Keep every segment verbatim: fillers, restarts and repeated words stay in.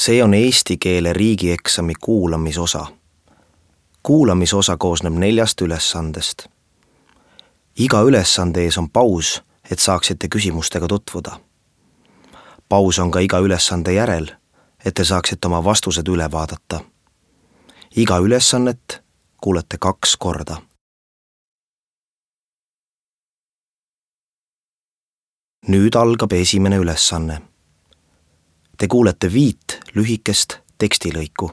See on eesti keele riigieksami kuulamisosa. Kuulamisosa koosneb neljast ülesandest. Iga ülesande ees on paus, et saaksite küsimustega tutvuda. Paus on ka iga ülesande järel, et te saaksite oma vastused üle vaadata. Iga ülesannet kuulete kaks korda. Nüüd algab esimene ülesanne. Te kuulete viit lühikest tekstilõiku.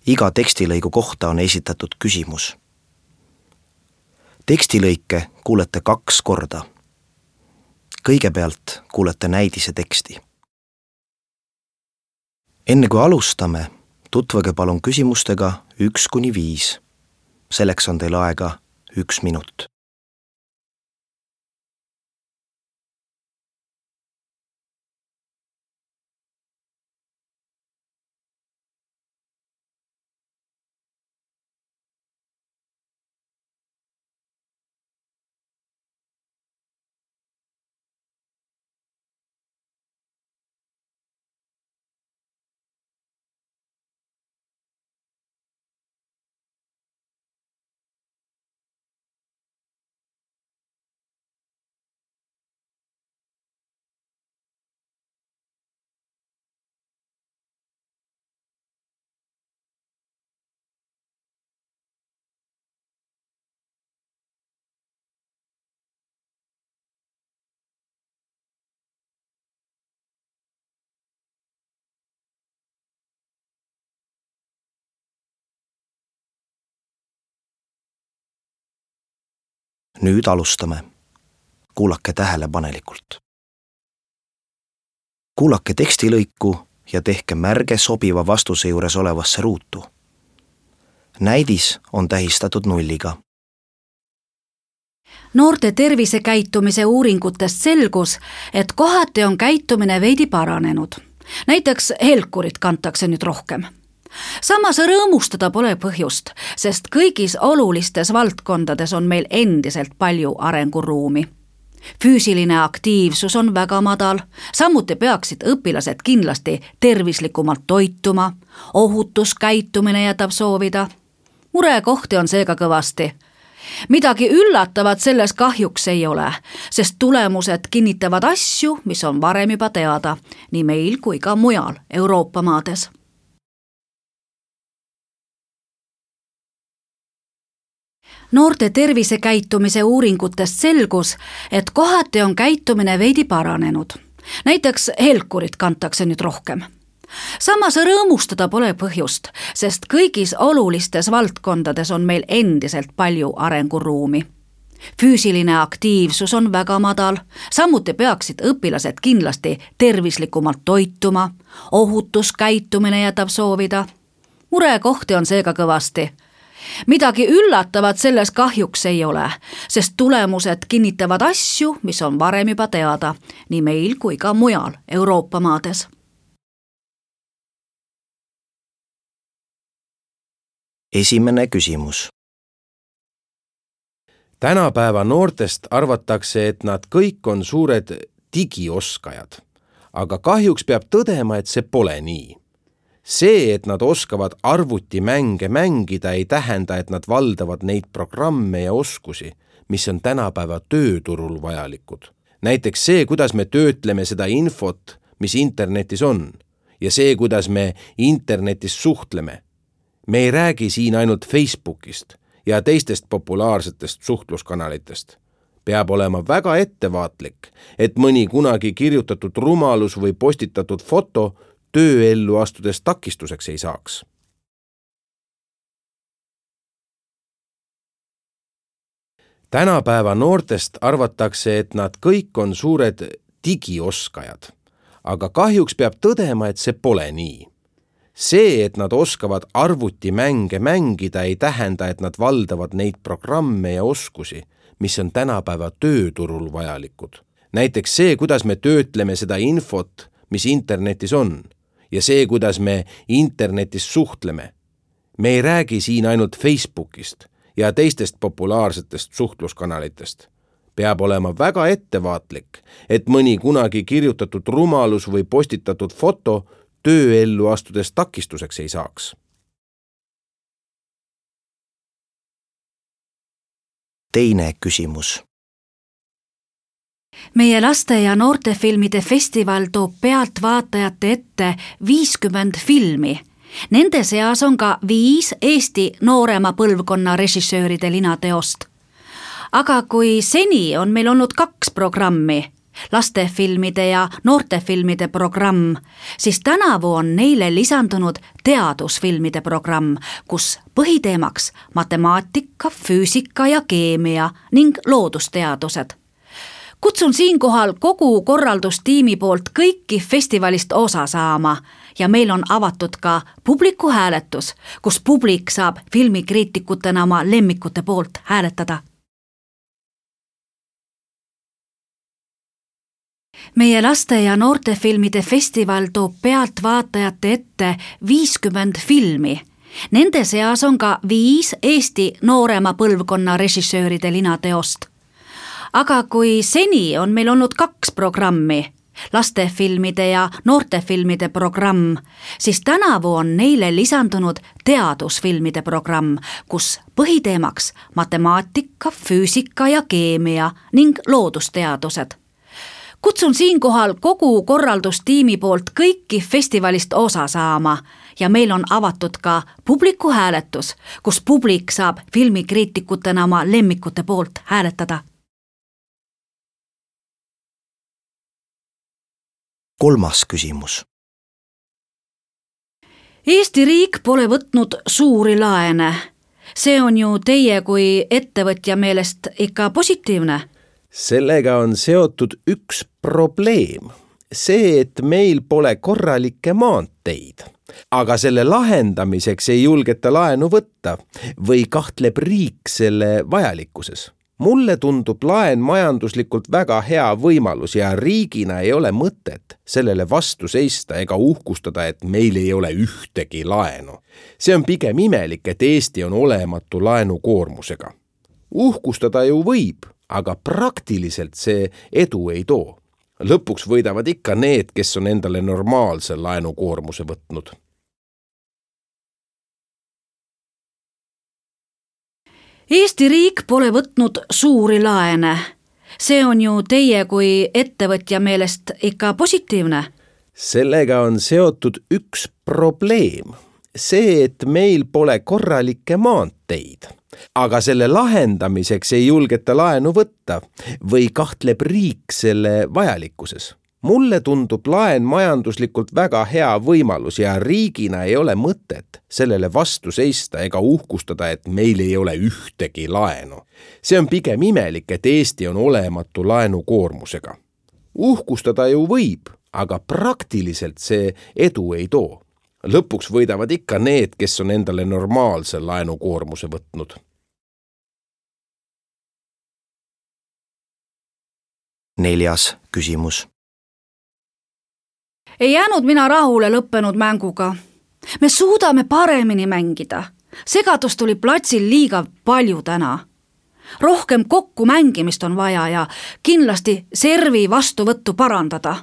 Iga tekstilõigu kohta on esitatud küsimus. Tekstilõike kuulete kaks korda. Kõigepealt kuulete näidise teksti. Enne kui alustame, tutvage palun küsimustega üks kuni viis. Selleks on teil aega üks minut. Nüüd alustame. Kuulake tähelepanelikult. Kuulake tekstilõiku ja tehke märge sobiva vastuse juures olevasse ruutu. Näidis on tähistatud nulliga. Noorte tervisekäitumise uuringutest selgus, et kohati on käitumine veidi paranenud. Näiteks helkurit kantakse nüüd rohkem. Samas rõõmustada pole põhjust, sest kõigis olulistes valdkondades on meil endiselt palju arenguruumi. Füüsiline aktiivsus on väga madal, samuti peaksid õpilased kindlasti tervislikumalt toituma, ohutuskäitumine jätab soovida. Murekohti on seega kõvasti. Midagi üllatavat selles kahjuks ei ole, sest tulemused kinnitavad asju, mis on varem juba teada, nii meil kui ka mujal Euroopa maades. Noorte tervisekäitumise uuringutest selgus, et kohati on käitumine veidi paranenud. Näiteks helkurit kantakse nüüd rohkem. Samas rõõmustada pole põhjust, sest kõigis olulistes valdkondades on meil endiselt palju arenguruumi. Füüsiline aktiivsus on väga madal, samuti peaksid õpilased kindlasti tervislikumalt toituma, ohutuskäitumine jätab soovida. Murekohti on seega kõvasti. Midagi üllatavat selles kahjuks ei ole, sest tulemused kinnitavad asju, mis on varem juba teada, nii meil kui ka mujal Euroopa maades. Esimene küsimus. Tänapäeva noortest arvatakse, et nad kõik on suured digioskajad, aga kahjuks peab tõdema, et see pole nii. See, et nad oskavad arvutimänge mängida, ei tähenda, et nad valdavad neid programme ja oskusi, mis on tänapäeva tööturul vajalikud. Näiteks see, kuidas me töötleme seda infot, mis internetis on, ja see, kuidas me internetis suhtleme. Me ei räägi siin ainult Facebookist ja teistest populaarsetest suhtluskanalitest. Peab olema väga ettevaatlik, et mõni kunagi kirjutatud rumalus või postitatud foto tööellu astudes takistuseks ei saaks. Tänapäeva noortest arvatakse, et nad kõik on suured digioskajad, aga kahjuks peab tõdema, et see pole nii. See, et nad oskavad arvutimänge mängida, ei tähenda, et nad valdavad neid programme ja oskusi, mis on tänapäeva tööturul vajalikud. Näiteks see, kuidas me töötleme seda infot, mis internetis on, ja see, kuidas me internetis suhtleme. Me ei räägi siin ainult Facebookist ja teistest populaarsetest suhtluskanalitest. Peab olema väga ettevaatlik, et mõni kunagi kirjutatud rumalus või postitatud foto tööellu astudes takistuseks ei saaks. Teine küsimus. Meie laste- ja noortefilmide festival toob pealtvaatajate ette viiskümmend filmi. Nende seas on ka viis Eesti noorema põlvkonna režissööride linateost. Aga kui seni on meil olnud kaks programmi, lastefilmide ja noortefilmide programm, siis tänavu on neile lisandunud teadusfilmide programm, kus põhiteemaks matemaatika, füüsika ja keemia ning loodusteadused. Kutsun siinkohal kogu korraldustiimi poolt kõiki festivalist osa saama ja meil on avatud ka publiku hääletus, kus publik saab filmikriitikutena oma lemmikute poolt hääletada. Meie laste- ja noortefilmide festival toob pealtvaatajate ette viiskümmend filmi. Nende seas on ka viis Eesti noorema põlvkonna režissööride linateost. Aga kui seni on meil olnud kaks programmi, lastefilmide ja noortefilmide programm, siis tänavu on neile lisandunud teadusfilmide programm, kus põhiteemaks matemaatika, füüsika ja keemia ning loodusteadused. Kutsun siinkohal kogu korraldustiimi poolt kõiki festivalist osa saama ja meil on avatud ka publiku hääletus, kus publik saab filmikriitikutena oma lemmikute poolt hääletada. Kolmas küsimus. Eesti riik pole võtnud suuri laene. See on ju teie kui ettevõtja meelest ikka positiivne. Sellega on seotud üks probleem. See, et meil pole korralikke maanteid. Aga selle lahendamiseks ei julgeta laenu võtta või kahtleb riik selle vajalikkuses. Mulle tundub laen majanduslikult väga hea võimalus ja riigina ei ole mõtet sellele vastu seista ega uhkustada, et meil ei ole ühtegi laenu. See on pigem imelik, et Eesti on olematu laenukoormusega. Uhkustada ju võib, aga praktiliselt see edu ei too. Lõpuks võidavad ikka need, kes on endale normaalse laenukoormuse võtnud. Eesti riik pole võtnud suuri laene. See on ju teie kui ettevõtja meelest ikka positiivne. Sellega on seotud üks probleem. See, et meil pole korralikke maanteid. Aga selle lahendamiseks ei julgeta laenu võtta või kahtleb riik selle vajalikkuses. Mulle tundub laen majanduslikult väga hea võimalus ja riigina ei ole mõtet sellele vastu seista ega uhkustada, et meil ei ole ühtegi laenu. See on pigem imelik, et Eesti on olematu laenukoormusega. Uhkustada ju võib, aga praktiliselt see edu ei too. Lõpuks võidavad ikka need, kes on endale normaalse laenukoormuse võtnud. Neljas küsimus. Ei jäänud mina rahule lõppenud mänguga. Me suudame paremini mängida. Segadus tuli platsil liiga palju täna. Rohkem kokku mängimist on vaja ja kindlasti servi vastuvõttu parandada.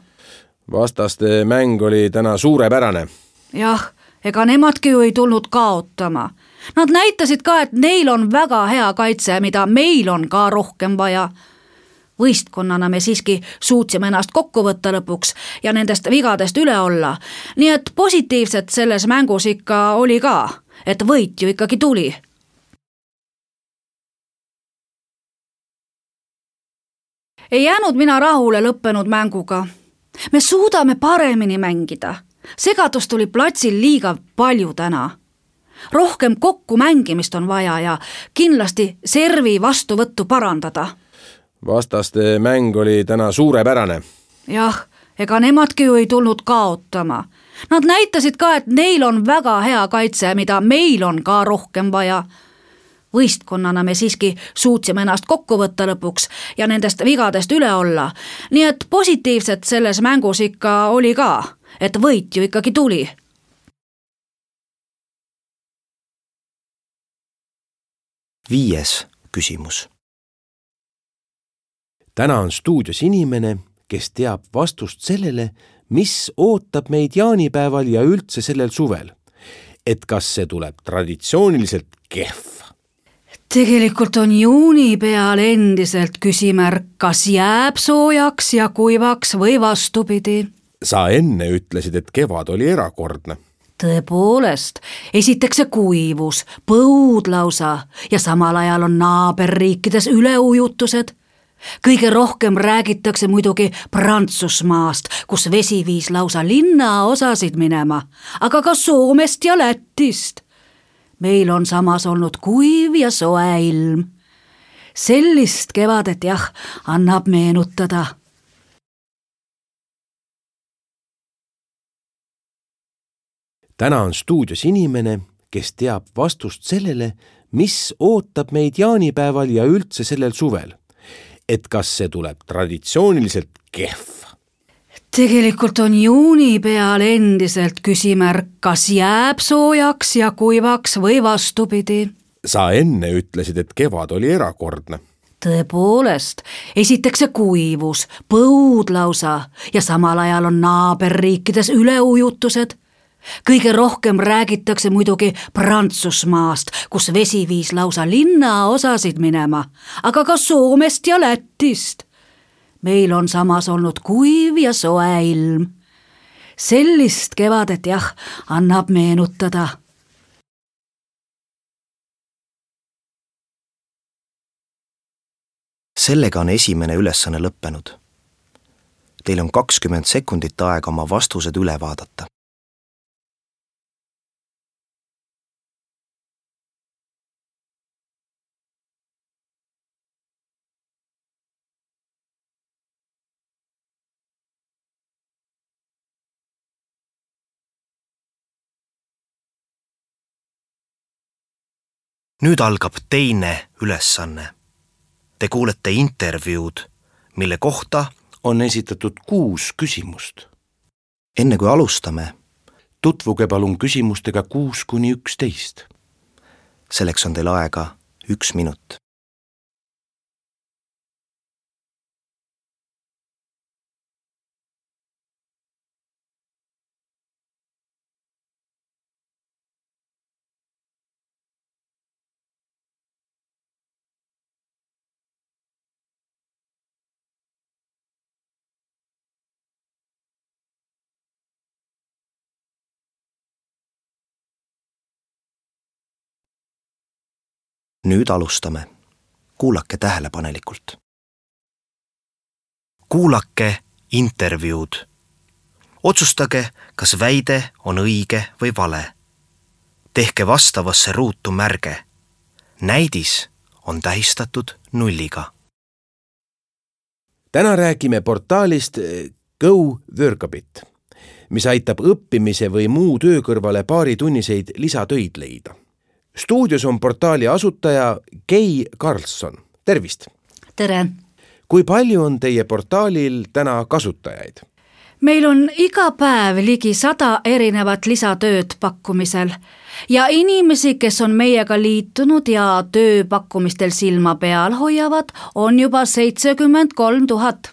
Vastaste mäng oli täna suurepärane. Jah, ega nemadki ju ei tulnud kaotama. Nad näitasid ka, et neil on väga hea kaitse, mida meil on ka rohkem vaja. Võistkonnana me siiski suutsime ennast kokku võtta lõpuks ja nendest vigadest üle olla. Nii et positiivset selles mängus ikka oli ka, et võit ju ikkagi tuli. Ei jäänud mina rahule lõppenud mänguga. Me suudame paremini mängida. Segadus tuli platsil liiga palju täna. Rohkem kokku mängimist on vaja ja kindlasti servi vastuvõttu parandada. Vastaste mäng oli täna suurepärane. Jah, ega nemadki ju ei tulnud kaotama. Nad näitasid ka, et neil on väga hea kaitse, mida meil on ka rohkem vaja. Võistkonnana me siiski suutsime ennast kokku võtta lõpuks ja nendest vigadest üle olla. Nii et positiivset selles mängus ikka oli ka, et võit ju ikkagi tuli. Viies küsimus. Täna on stuudios inimene, kes teab vastust sellele, mis ootab meid jaanipäeval ja üldse sellel suvel. Et kas see tuleb traditsiooniliselt kehv? Tegelikult on juuni peal endiselt küsimärk, kas jääb soojaks ja kuivaks või vastupidi. Sa enne ütlesid, et kevad oli erakordne. Tõepoolest, esiteks see kuivus, põud lausa ja samal ajal on naaberriikides üleujutused. Kõige rohkem räägitakse muidugi Prantsusmaast, kus vesi viis lausa linnaosasid minema, aga ka Soomest ja Lätist. Meil on samas olnud kuiv ja soe ilm. Sellist kevadet jah, annab meenutada. Täna on stuudios inimene, kes teab vastust sellele, mis ootab meid jaanipäeval ja üldse sellel suvel. Et kas see tuleb traditsiooniliselt kehv? Tegelikult on juuni peal endiselt küsimärk, kas jääb soojaks ja kuivaks või vastupidi. Sa enne ütlesid, et kevad oli erakordne. Tõepoolest, esiteks see kuivus, põud lausa ja samal ajal on naaberriikides üleujutused. Kõige rohkem räägitakse muidugi Prantsusmaast, kus vesi viis lausa linnaosasid minema, aga ka Soomest ja Lätist. Meil on samas olnud kuiv ja soe ilm. Sellist kevadet jah, annab meenutada. Sellega on esimene ülesanne lõppenud. Teil on kakskümmend sekundit aega oma vastused üle vaadata. Nüüd algab teine ülesanne. Te kuulete intervjuud, mille kohta on esitatud kuus küsimust. Enne kui alustame, tutvuge palun küsimustega kuus kuni üksteist. Selleks on teil aega üks minut. Nüüd alustame. Kuulake tähelepanelikult. Kuulake intervjuud. Otsustage, kas väide on õige või vale. Tehke vastavasse ruutu märge. Näidis on tähistatud nulliga. Täna räägime portaalist Go Workabit, mis aitab õppimise või muu töö kõrvale paari tunniseid lisatöid leida. Stuudios on portaali asutaja Kei Karlsson. Tervist! Tere! Kui palju on teie portaalil täna kasutajaid? Meil on iga päev ligi sada erinevat lisatööd pakkumisel ja inimesi, kes on meiega liitunud ja tööpakkumistel silma peal hoiavad, on juba seitsekümmend kolm tuhat.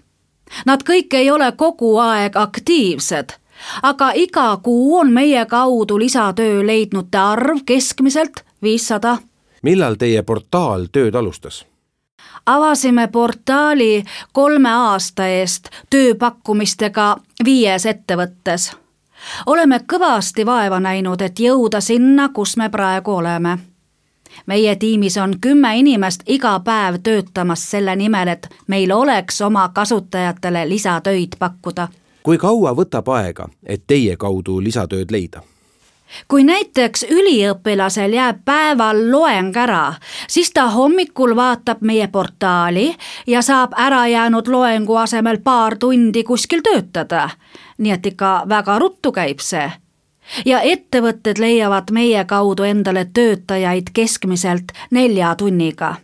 Nad kõik ei ole kogu aeg aktiivsed, aga iga kuu on meie kaudu lisatöö leidnute arv keskmiselt viissada. Millal teie portaal tööd alustas? Avasime portaali kolme aasta eest tööpakkumistega viies ettevõttes. Oleme kõvasti vaeva näinud, et jõuda sinna, kus me praegu oleme. Meie tiimis on kümme inimest iga päev töötamas selle nimel, et meil oleks oma kasutajatele lisatöid pakkuda. Kui kaua võtab aega, et teie kaudu lisatööd leida? Kui näiteks üliõpilasel jääb päeval loeng ära, siis ta hommikul vaatab meie portaali ja saab ära jäänud loengu asemel paar tundi kuskil töötada. Nii et ikka väga ruttu käib see. Ja ettevõtted leiavad meie kaudu endale töötajaid keskmiselt nelja tunniga.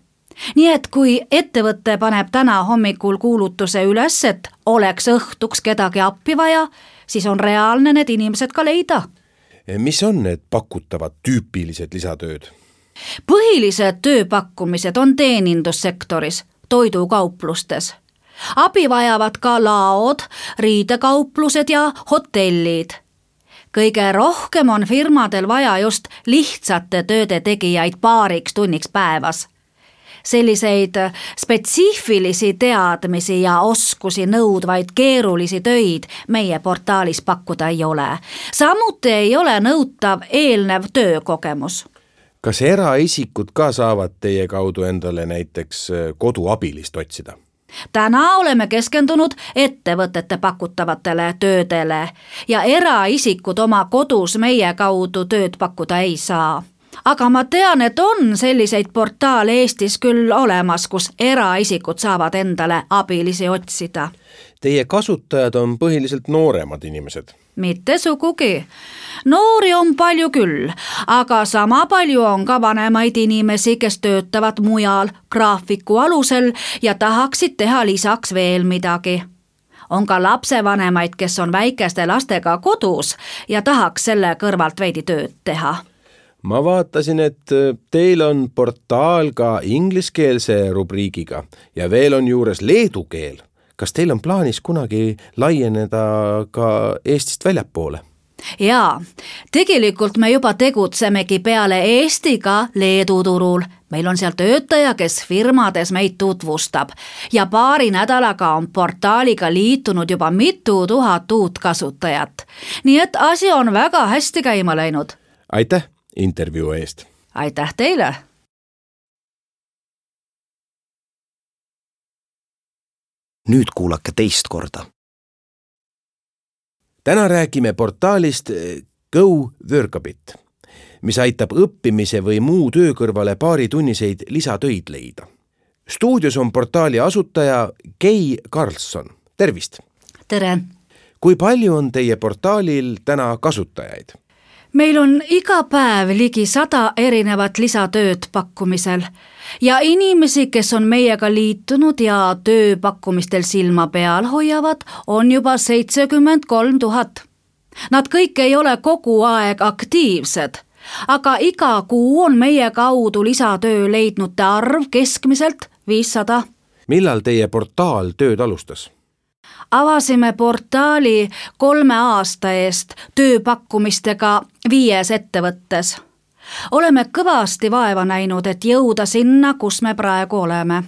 Nii et kui ettevõte paneb täna hommikul kuulutuse üles, et oleks õhtuks kedagi appi vaja, siis on reaalne need inimesed ka leida. Mis on need pakutavad tüüpilised lisatööd? Põhilised tööpakkumised on teenindussektoris, toidukauplustes. Abi vajavad ka laod, riidekauplused ja hotellid. Kõige rohkem on firmadel vaja just lihtsate tööde tegijaid paariks tunniks päevas. Selliseid spetsiifilisi teadmisi ja oskusi nõudvaid keerulisi töid meie portaalis pakkuda ei ole. Samuti ei ole nõutav eelnev töökogemus. Kas eraisikud ka saavad teie kaudu endale näiteks koduabilist otsida? Täna oleme keskendunud ettevõtete pakutavatele töödele ja eraisikud oma kodus meie kaudu tööd pakkuda ei saa. Aga ma tean, et on selliseid portaale Eestis küll olemas, kus eraisikud saavad endale abilisi otsida. Teie kasutajad on põhiliselt nooremad inimesed. Mitte sugugi. Noori on palju küll, aga sama palju on ka vanemaid inimesi, kes töötavad mujal graafiku alusel ja tahaksid teha lisaks veel midagi. On ka lapsevanemaid, kes on väikeste lastega kodus ja tahaks selle kõrvalt veidi tööd teha. Ma vaatasin, et teil on portaal ka ingliskeelse rubriigiga ja veel on juures leedu keel. Kas teil on plaanis kunagi laieneda ka Eestist väljapoole? Jaa, tegelikult me juba tegutsemegi peale Eestiga Leedu turul. Meil on seal töötaja, kes firmades meid tutvustab ja paari nädalaga on portaaliga liitunud juba mitu tuhat uut kasutajat. Nii et asi on väga hästi käima läinud. Aitäh intervjuu eest. Aitäh teile. Nüüd kuulake teist korda. Täna räägime portaalist Go Workabit, mis aitab õppimise või muu töö kõrvale paari tunniseid lisatöid leida. Stuudios on portaali asutaja Kei Karlsson. Tervist! Tere! Kui palju on teie portaalil täna kasutajaid? Meil on iga päev ligi sada erinevat lisatööd pakkumisel ja inimesi, kes on meiega liitunud ja tööpakkumistel silma peal hoiavad, on juba seitsekümmend kolm tuhat. Nad kõik ei ole kogu aeg aktiivsed, aga iga kuu on meie kaudu lisatöö leidnute arv keskmiselt viissada. Millal teie portaal tööd alustas? Avasime portaali kolme aasta eest tööpakkumistega viies ettevõttes. Oleme kõvasti vaeva näinud, et jõuda sinna, kus me praegu oleme.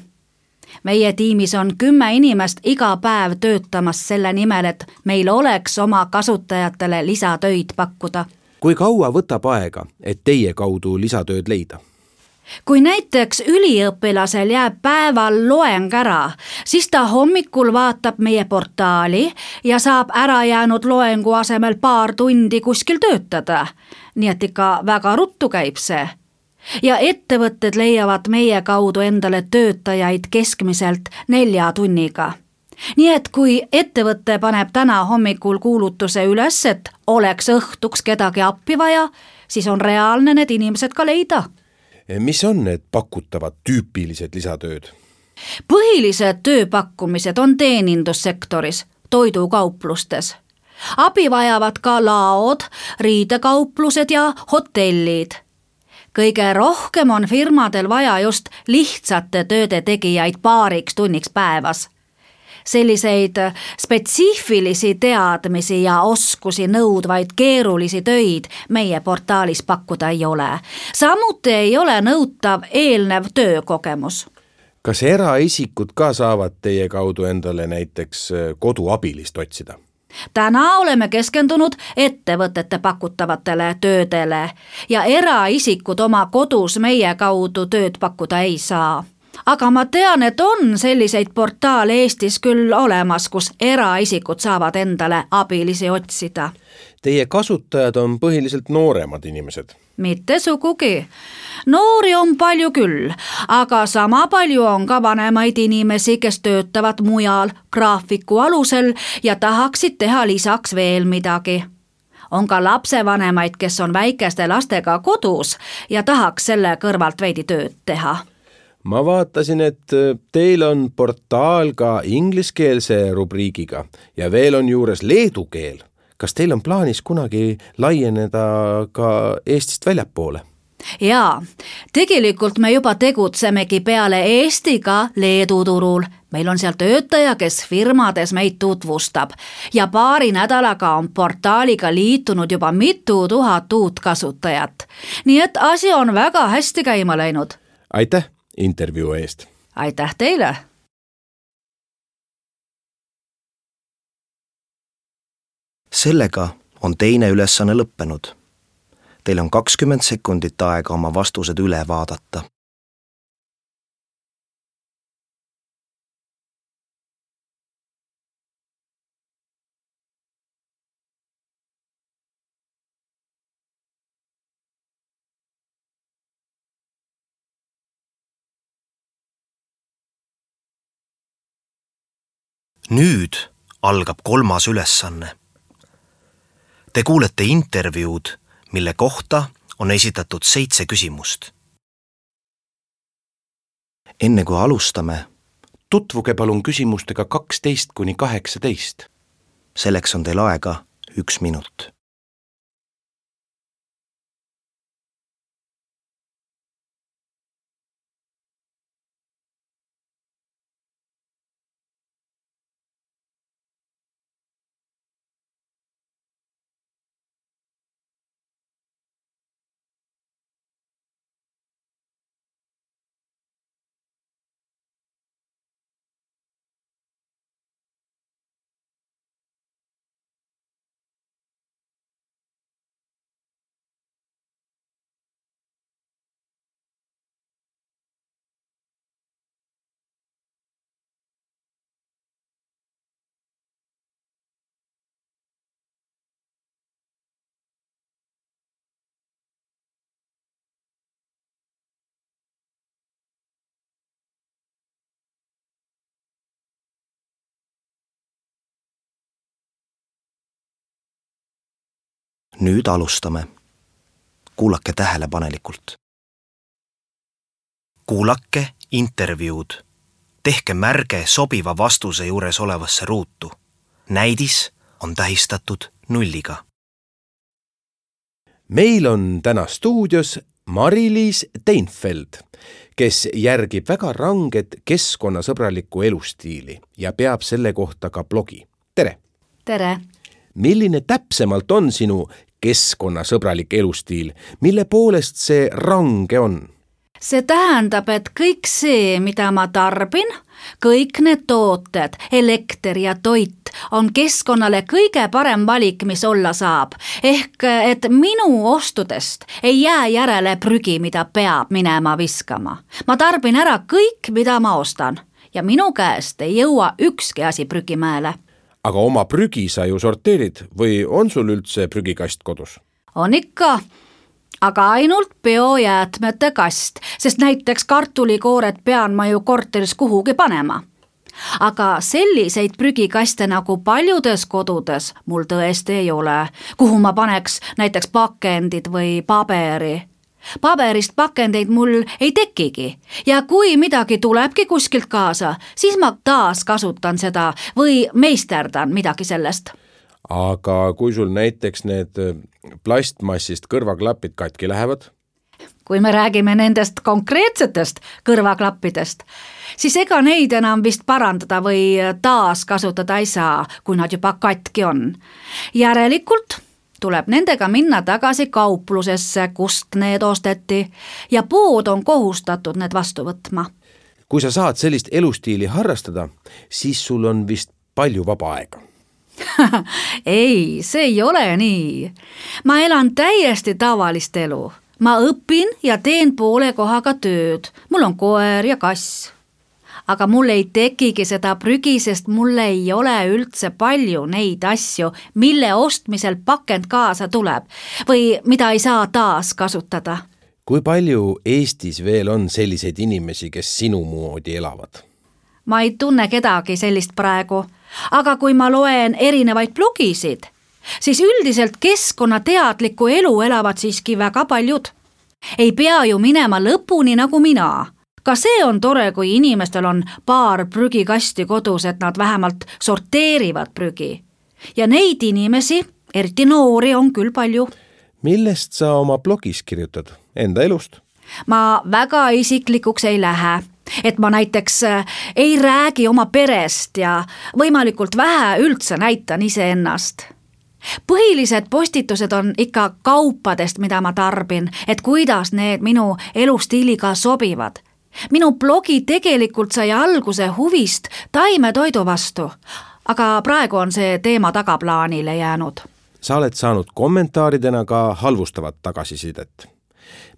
Meie tiimis on kümme inimest iga päev töötamas selle nimel, et meil oleks oma kasutajatele lisatöid pakkuda. Kui kaua võtab aega, et teie kaudu lisatööd leida? Kui näiteks üliõpilasel jääb päeval loeng ära, siis ta hommikul vaatab meie portaali ja saab ära jäänud loengu asemel paar tundi kuskil töötada. Nii et ikka väga ruttu käib see. Ja ettevõtted leiavad meie kaudu endale töötajaid keskmiselt nelja tunniga. Nii et kui ettevõte paneb täna hommikul kuulutuse üles, et oleks õhtuks kedagi appi vaja, siis on reaalne need inimesed ka leida. Mis on need pakutavad tüüpilised lisatööd? Põhilised tööpakkumised on teenindussektoris, toidukauplustes. Abi vajavad ka laod, riidekauplused ja hotellid. Kõige rohkem on firmadel vaja just lihtsate tööde tegijaid paariks tunniks päevas. Selliseid spetsiifilisi teadmisi ja oskusi nõudvaid keerulisi töid meie portaalis pakkuda ei ole. Samuti ei ole nõutav eelnev töökogemus. Kas eraisikud ka saavad teie kaudu endale näiteks koduabilist otsida? Täna oleme keskendunud ettevõtete pakutavatele töödele ja eraisikud oma kodus meie kaudu tööd pakkuda ei saa. Aga ma tean, et on selliseid portaale Eestis küll olemas, kus eraisikud saavad endale abilisi otsida. Teie kasutajad on põhiliselt nooremad inimesed. Mitte sugugi. Noori on palju küll, aga sama palju on ka vanemaid inimesi, kes töötavad mujal graafiku alusel ja tahaksid teha lisaks veel midagi. On ka lapsevanemaid, kes on väikeste lastega kodus ja tahaks selle kõrvalt veidi tööd teha. Ma vaatasin, et teil on portaal ka ingliskeelse rubriigiga ja veel on juures leedu keel. Kas teil on plaanis kunagi laieneda ka Eestist väljapoole? Jaa, tegelikult me juba tegutsemegi peale Eesti ka Leedu turul. Meil on seal töötaja, kes firmades meid tutvustab ja paari nädalaga on portaaliga liitunud juba mitu tuhat uut kasutajat. Nii et asi on väga hästi käima läinud. Aitäh intervjuu eest! Aitäh teile! Sellega on teine ülesanne lõppenud. Teil on kakskümmend sekundit aega oma vastused üle vaadata. Nüüd algab kolmas ülesanne. Te kuulete intervjuud, mille kohta on esitatud seitse küsimust. Enne kui alustame, Tutvuge palun küsimustega kaksteist kuni kaheksateist. Selleks on teil aega üks minut. Nüüd alustame. Kuulake tähelepanelikult. Kuulake intervjuud. Tehke märge sobiva vastuse juures olevasse ruutu. Näidis on tähistatud nulliga. Meil on täna stuudios Mari-Liis Teinfeld, kes järgib väga ranget keskkonnasõbralikku elustiili ja peab selle kohta ka blogi. Tere! Tere! Milline täpsemalt on sinu keskkonnasõbralik elustiil? Mille poolest see range on? See tähendab, et kõik see, mida ma tarbin, kõik need tooted, elekter ja toit on keskkonnale kõige parem valik, mis olla saab. Ehk, et minu ostudest ei jää järele prügi, mida peab minema viskama. Ma tarbin ära kõik, mida ma ostan ja minu käest ei jõua ükski asi prügimäele. Aga oma prügi sa ju sorteerid või on sul üldse prügikast kodus? On ikka, aga ainult biojäätmete kast, sest näiteks kartulikoored pean ma ju korteris kuhugi panema. Aga selliseid prügikaste nagu paljudes kodudes mul tõesti ei ole, kuhu ma paneks näiteks pakendid või paberi. Paberist pakendeid mul ei tekigi ja kui midagi tulebki kuskilt kaasa, siis ma taas kasutan seda või meisterdan midagi sellest. Aga kui sul näiteks need plastmassist kõrvaklapid katki lähevad? Kui me räägime nendest konkreetsetest kõrvaklappidest, siis ega neid enam vist parandada või taas kasutada ei saa, kui nad juba katki on. Järelikult tuleb nendega minna tagasi kauplusesse, kust need osteti ja pood on kohustatud need vastu võtma. Kui sa saad sellist elustiili harrastada, siis sul on vist palju vaba aega. Ei, see ei ole nii. Ma elan täiesti tavalist elu. Ma õpin ja teen poole kohaga tööd. Mul on koer ja kass. Aga mul ei tekigi seda prügi, sest mul ei ole üldse palju neid asju, mille ostmisel pakend kaasa tuleb või mida ei saa taas kasutada. Kui palju Eestis veel on selliseid inimesi, kes sinu moodi elavad? Ma ei tunne kedagi sellist praegu, aga kui ma loen erinevaid blogisid, siis üldiselt keskkonnateadlikku elu elavad siiski väga paljud. Ei pea ju minema lõpuni nagu mina. Ka see on tore, kui inimestel on paar prügikasti kodus, et nad vähemalt sorteerivad prügi. Ja neid inimesi, eriti noori, on küll palju. millest sa oma blogis kirjutad? Enda elust? ma väga isiklikuks ei lähe, et ma näiteks ei räägi oma perest ja võimalikult vähe üldse näitan iseennast. Põhilised postitused on ikka kaupadest, mida ma tarbin, et kuidas need minu elustiiliga sobivad. Minu blogi tegelikult sai alguse huvist taimetoidu vastu, aga praegu on see teema tagaplaanile jäänud. Sa oled saanud kommentaaridena ka halvustavat tagasisidet.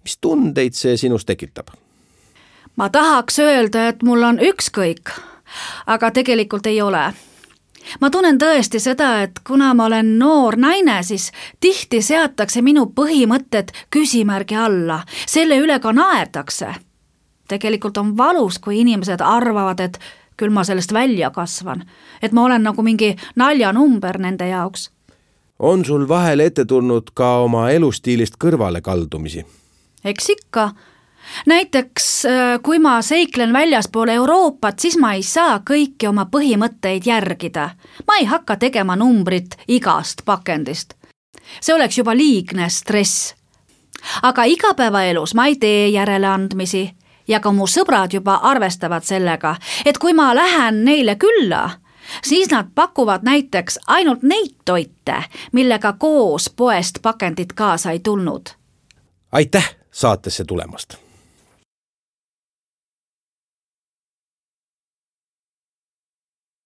Mis tundeid see sinus tekitab? Ma tahaks öelda, et mul on ükskõik, aga tegelikult ei ole. Ma tunnen tõesti seda, et kuna ma olen noor naine, siis tihti seatakse minu põhimõtted küsimärgi alla, selle üle ka naerdakse. Tegelikult on valus, kui inimesed arvavad, et küll ma sellest välja kasvan, et ma olen nagu mingi naljanumber nende jaoks. On sul vahel ette tulnud ka oma elustiilist kõrvale kaldumisi? Eks ikka. Näiteks, kui ma seiklen väljaspool Euroopat, siis ma ei saa kõiki oma põhimõtteid järgida. Ma ei hakka tegema numbrit igast pakendist. See oleks juba liigne stress. Aga igapäevaelus ma ei tee järeleandmisi ja ka mu sõbrad juba arvestavad sellega, et kui ma lähen neile külla, siis nad pakuvad näiteks ainult neid toite, millega koos poest pakendit kaasa ei tulnud. Aitäh saatesse tulemast!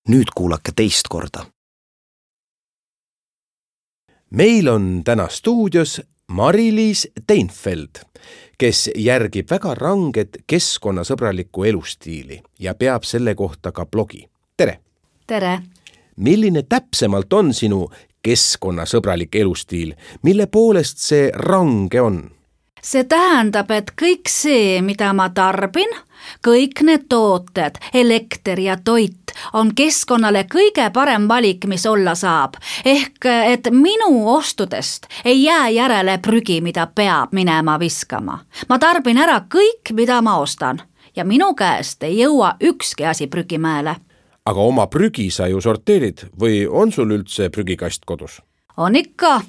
Nüüd kuulake teist korda. Meil on täna stuudios Mari-Liis Teinfeld, kes järgib väga ranget keskkonnasõbralikku elustiili ja peab selle kohta ka blogi. Tere! Tere! Milline täpsemalt on sinu keskkonnasõbralik elustiil? Mille poolest see range on? See tähendab, et kõik see, mida ma tarbin, kõik need tooted, elekter ja toit on keskkonnale kõige parem valik, mis olla saab. Ehk, et minu ostudest ei jää järele prügi, mida peab minema viskama. Ma tarbin ära kõik, mida ma ostan ja minu käest ei jõua ükski asi prügimäele. Aga oma prügi sa ju sorteerid või on sul üldse prügikast kodus? On ikka.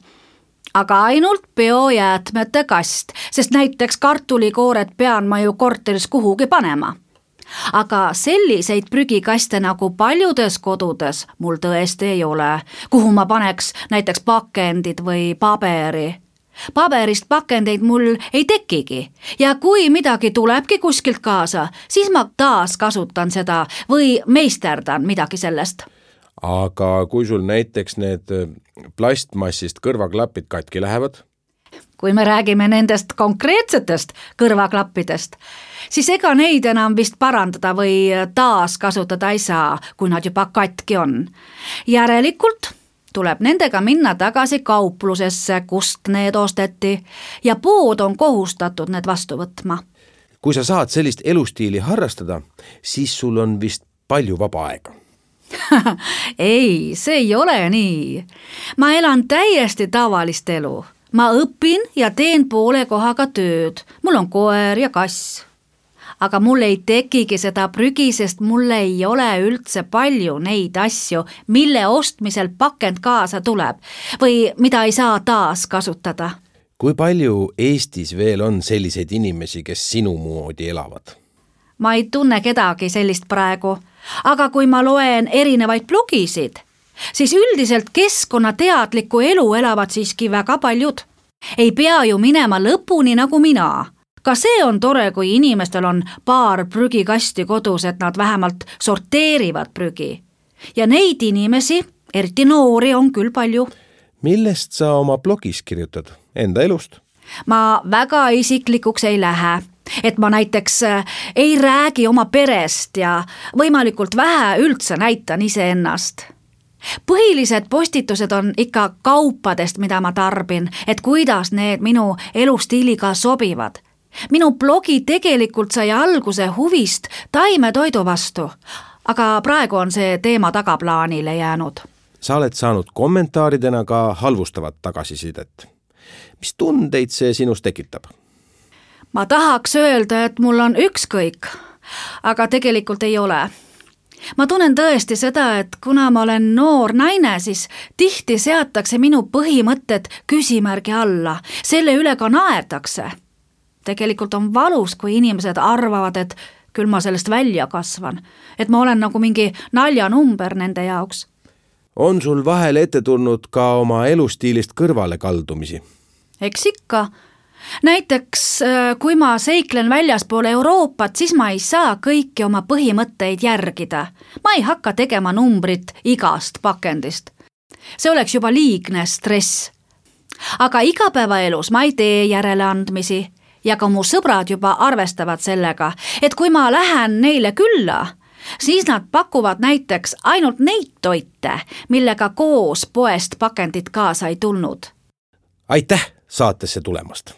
Aga ainult biojäätmete kast, sest näiteks kartulikoored pean ma ju korteris kuhugi panema. Aga selliseid prügikaste nagu paljudes kodudes mul tõesti ei ole, kuhu ma paneks näiteks pakendid või paberi. Paberist pakendeid mul ei tekigi ja kui midagi tulebki kuskilt kaasa, siis ma taas kasutan seda või meisterdan midagi sellest. Aga kui sul näiteks need plastmassist kõrvaklapid katki lähevad? Kui me räägime nendest konkreetsetest kõrvaklappidest, siis ega neid enam vist parandada või taas kasutada ei saa, kui nad juba katki on. Järelikult tuleb nendega minna tagasi kauplusesse, kust need osteti ja pood on kohustatud need vastu võtma. Kui sa saad sellist elustiili harrastada, siis sul on vist palju vaba aega. Ei, see ei ole nii. Ma elan täiesti tavalist elu. Ma õpin ja teen poole kohaga tööd. Mul on koer ja kass. Aga mul ei tekigi seda prügi, sest mul ei ole üldse palju neid asju, mille ostmisel pakend kaasa tuleb või mida ei saa taas kasutada. Kui palju Eestis veel on selliseid inimesi, kes sinu moodi elavad? Ma ei tunne kedagi sellist praegu, aga kui ma loen erinevaid blogisid, siis üldiselt keskkonnateadlikku elu elavad siiski väga paljud. Ei pea ju minema lõpuni nagu mina. Ka see on tore, kui inimestel on paar prügikasti kodus, et nad vähemalt sorteerivad prügi. Ja neid inimesi, eriti noori, on küll palju. Millest sa oma blogis kirjutad? Enda elust? Ma väga isiklikuks ei lähe. Et ma näiteks ei räägi oma perest ja võimalikult vähe üldse näitan iseennast. Põhilised postitused on ikka kaupadest, mida ma tarbin, et kuidas need minu elustiiliga sobivad. Minu blogi tegelikult sai alguse huvist taimetoidu vastu, aga praegu on see teema tagaplaanile jäänud. Sa oled saanud kommentaaridena ka halvustavat tagasisidet. Mis tundeid see sinus tekitab? Ma tahaks öelda, et mul on ükskõik, aga tegelikult ei ole. ma tunnen tõesti seda, et kuna ma olen noor naine, siis tihti seatakse minu põhimõtted küsimärgi alla, selle üle ka naerdakse. Tegelikult on valus, kui inimesed arvavad, et küll ma sellest välja kasvan, et ma olen nagu mingi naljanumber nende jaoks. On sul vahel ette tulnud ka oma elustiilist kõrvale kaldumisi? Eks ikka. Näiteks, kui ma seiklen väljaspool Euroopat, siis ma ei saa kõiki oma põhimõtteid järgida. Ma ei hakka tegema numbrit igast pakendist. See oleks juba liigne stress. Aga igapäevaelus ma ei tee järeleandmisi ja ka mu sõbrad juba arvestavad sellega, et kui ma lähen neile külla, siis nad pakuvad näiteks ainult neid toite, millega koos poest pakendit kaasa ei tulnud. Aitäh saatesse tulemast!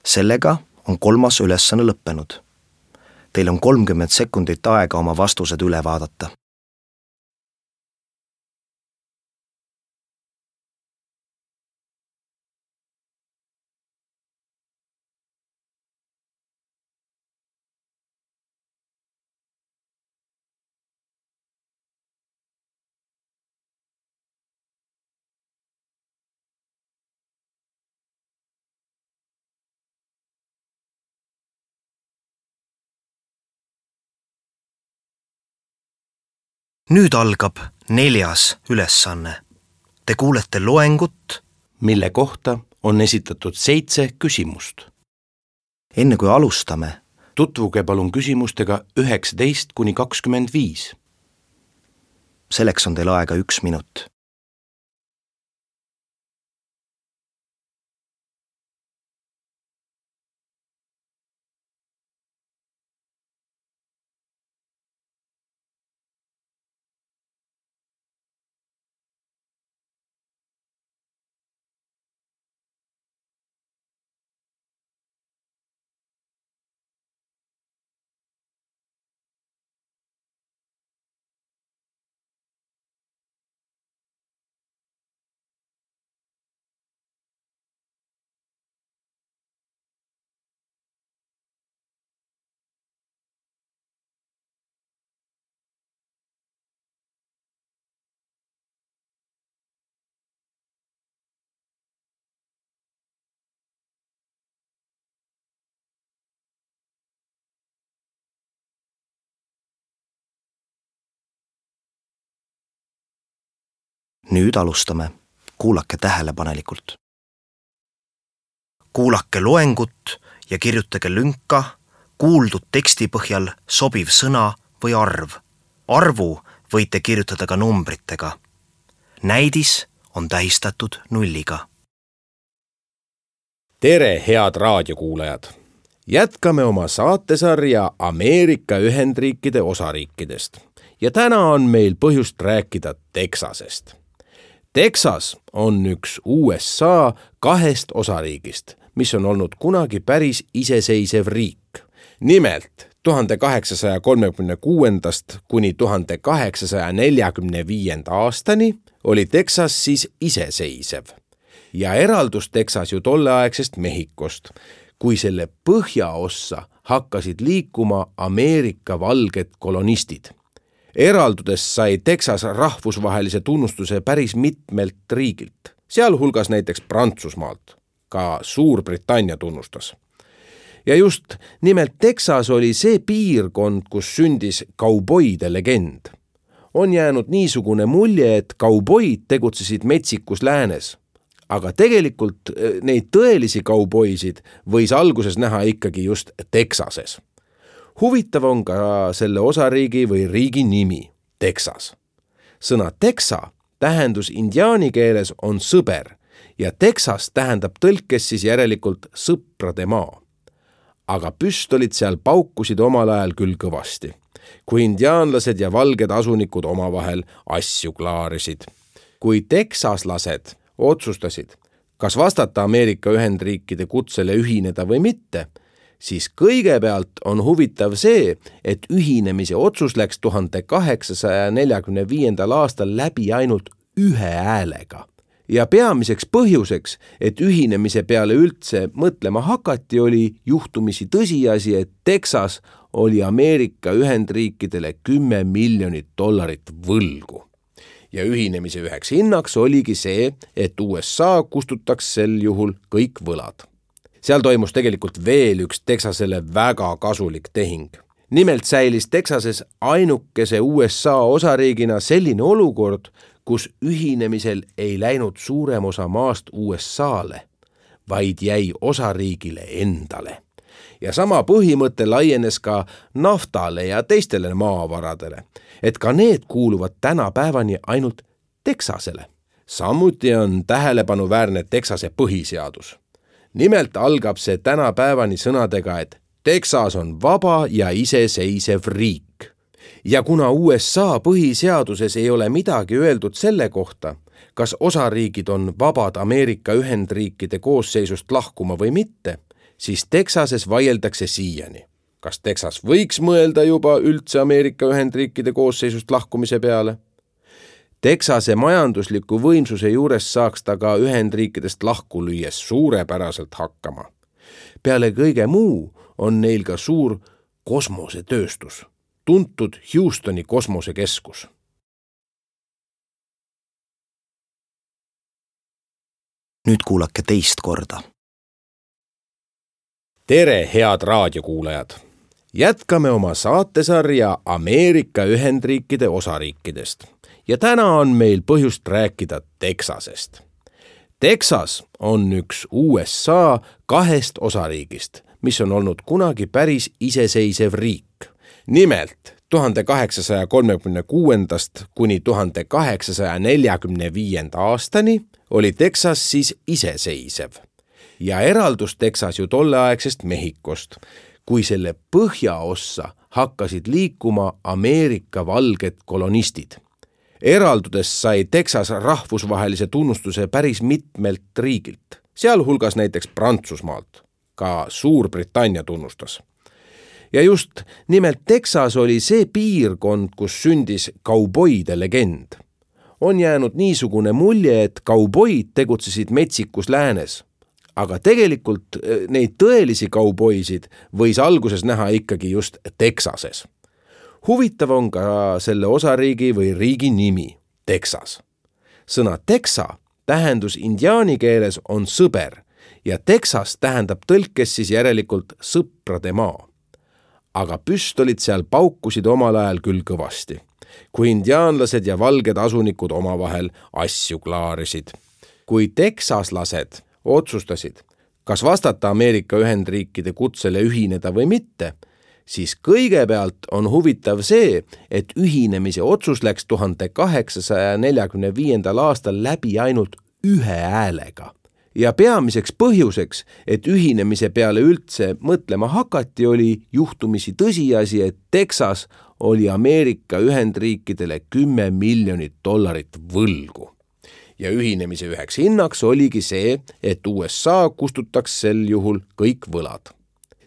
Sellega on kolmas ülesanne lõppenud. Teil on kolmkümmend sekundit aega oma vastused üle vaadata. Nüüd algab neljas ülesanne. Te kuulete loengut, mille kohta on esitatud seitse küsimust. Enne kui alustame, tutvuge palun küsimustega üheksateist kuni kakskümmend viis. Selleks on teil aega üks minut. Nüüd alustame. Kuulake tähelepanelikult. Kuulake loengut ja kirjutage lünka kuuldud teksti põhjal sobiv sõna või arv. Arvu võite kirjutada ka numbritega. Näidis on tähistatud nulliga. Tere, head raadiokuulajad! Jätkame oma saatesarja Ameerika Ühendriikide osariikidest ja täna on meil põhjust rääkida Texasest. Texas on üks U S A kahest osariigist, mis on olnud kunagi päris iseseisev riik. Nimelt tuhande kaheksasaja kolmekümne kuuendast kuni tuhande kaheksasaja neljakümne viienda aastani oli Texas siis iseseisev. Ja eraldus Texas ju tolleaegsest Mehhikost, kui selle põhjaossa hakkasid liikuma Ameerika valged kolonistid. Eraldudes sai Texas rahvusvahelise tunnustuse päris mitmelt riigilt, sealhulgas näiteks Prantsusmaalt, ka Suurbritannia tunnustas. Ja just nimelt Texas oli see piirkond, kus sündis kauboide legend. On jäänud niisugune mulje, et kauboid tegutsesid metsikus läänes, aga tegelikult neid tõelisi kauboisid võis alguses näha ikkagi just Texases. Huvitav on ka selle osariigi või riigi nimi, Texas. Sõna Texa tähendus indiaani keeles on sõber ja Texas tähendab tõlkes siis järelikult sõprade maa. Aga püstolid seal paukusid omal ajal küll kõvasti, kui indiaanlased ja valged asunikud omavahel asju klaarisid. Kui teksaslased otsustasid, kas vastata Ameerika Ühendriikide kutsele ühineda või mitte, siis kõigepealt on huvitav see, et ühinemise otsus läks tuhande kaheksasaja neljakümne viiendal aastal läbi ainult ühe häälega. ja peamiseks põhjuseks, et ühinemise peale üldse mõtlema hakati, oli juhtumisi tõsiasi, et Texas oli Ameerika Ühendriikidele kümme miljonit dollarit võlgu. Ja ühinemise üheks hinnaks oligi see, et U S A kustutaks sel juhul kõik võlad. Seal toimus tegelikult veel üks Texasele väga kasulik tehing. Nimelt säilis Texases ainukese U S A osariigina selline olukord, kus ühinemisel ei läinud suurem osa maast U S A-le, vaid jäi osariigile endale. Ja sama põhimõte laienes ka naftale ja teistele maavaradele, et ka need kuuluvad tänapäevani ainult Texasele. Samuti on tähelepanuväärne Texase põhiseadus. Nimelt algab see tänapäevani sõnadega, et Texas on vaba ja iseseisev riik. Ja kuna U S A põhiseaduses ei ole midagi öeldud selle kohta, kas osariigid on vabad Ameerika Ühendriikide koosseisust lahkuma või mitte, siis Texases vaieldakse siiani. Kas Texas võiks mõelda juba üldse Ameerika Ühendriikide koosseisust lahkumise peale? Texase majandusliku võimsuse juures saaks ta ka Ühendriikidest lahku lüües suurepäraselt hakkama. Peale kõige muu on neil ka suur kosmosetööstus, tuntud Houstoni kosmosekeskus. Nüüd kuulake teist korda. Tere, head raadiokuulajad! Jätkame oma saatesarja Ameerika Ühendriikide osariikidest. Ja täna on meil põhjust rääkida Texasest. Texas on üks U S A kahest osariigist, mis on olnud kunagi päris iseseisev riik. Nimelt tuhande kaheksasaja kolmekümne kuuendast kuni tuhande kaheksasaja neljakümne viienda aastani oli Texas siis iseseisev. Ja eraldus Texas ju tolleaegsest Mehhikost, kui selle põhjaossa hakkasid liikuma Ameerika valged kolonistid. Eraldudes sai Texas rahvusvahelise tunnustuse päris mitmelt riigilt, sealhulgas näiteks Prantsusmaalt, ka Suurbritannia tunnustas. Ja just nimelt Texas oli see piirkond, kus sündis kauboide legend. On jäänud niisugune mulje, et kauboid tegutsesid metsikus läänes, aga tegelikult neid tõelisi kauboisid võis alguses näha ikkagi just Texases. Huvitav on ka selle osariigi või riigi nimi, Texas. Sõna Texa tähendus indiaani keeles on sõber ja Texas tähendab tõlkes siis järelikult sõprade maa. Aga püstolid seal paukusid omal ajal küll kõvasti, kui indiaanlased ja valged asunikud omavahel asju klaarisid. Kui teksaslased otsustasid, kas vastata Ameerika Ühendriikide kutsele ühineda või mitte, siis kõigepealt on huvitav see, et ühinemise otsus läks tuhande kaheksasaja neljakümne viiendal aastal läbi ainult ühe häälega. Ja peamiseks põhjuseks, et ühinemise peale üldse mõtlema hakati, oli juhtumisi tõsiasi, et Texas oli Ameerika Ühendriikidele kümme miljonit dollarit võlgu. Ja ühinemise üheks hinnaks oligi see, et U S A kustutaks sel juhul kõik võlad.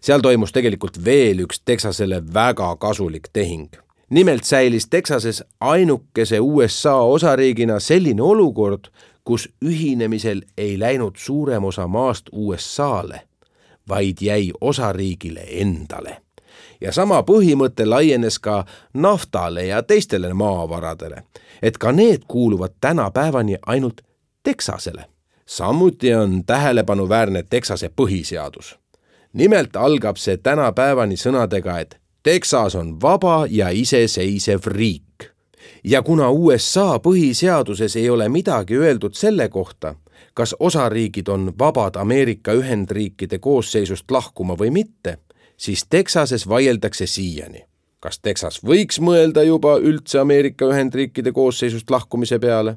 Seal toimus tegelikult veel üks Texasele väga kasulik tehing. Nimelt säilis Texases ainukese U S A osariigina selline olukord, kus ühinemisel ei läinud suurem osa maast U S A-le, vaid jäi osariigile endale. Ja sama põhimõte laienes ka naftale ja teistele maavaradele, et ka need kuuluvad tänapäevani ainult Texasele. Samuti on tähelepanuväärne Texase põhiseadus. Nimelt algab see tänapäevani sõnadega, et Texas on vaba ja iseseisev riik. Ja kuna U S A põhiseaduses ei ole midagi öeldud selle kohta, kas osariigid on vabad Ameerika Ühendriikide koosseisust lahkuma või mitte, siis Texases vaieldakse siiani. Kas Texas võiks mõelda juba üldse Ameerika Ühendriikide koosseisust lahkumise peale?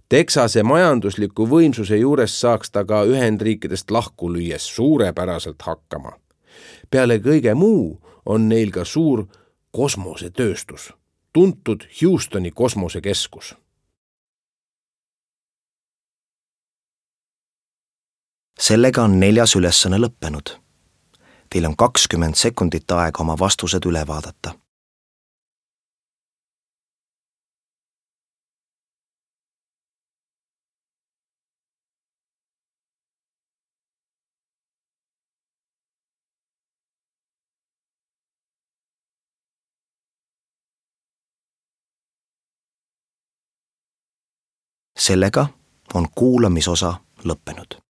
Texase majandusliku võimsuse juures saaks ta ka Ühendriikidest lahku lüües suurepäraselt hakkama. Peale kõige muu on neil ka suur kosmosetööstus, tuntud Houstoni kosmosekeskus. Sellega on neljas ülesanne lõppenud. Teil on kakskümmend sekundit aega oma vastused üle vaadata. sellega on kuulamisosa lõppenud.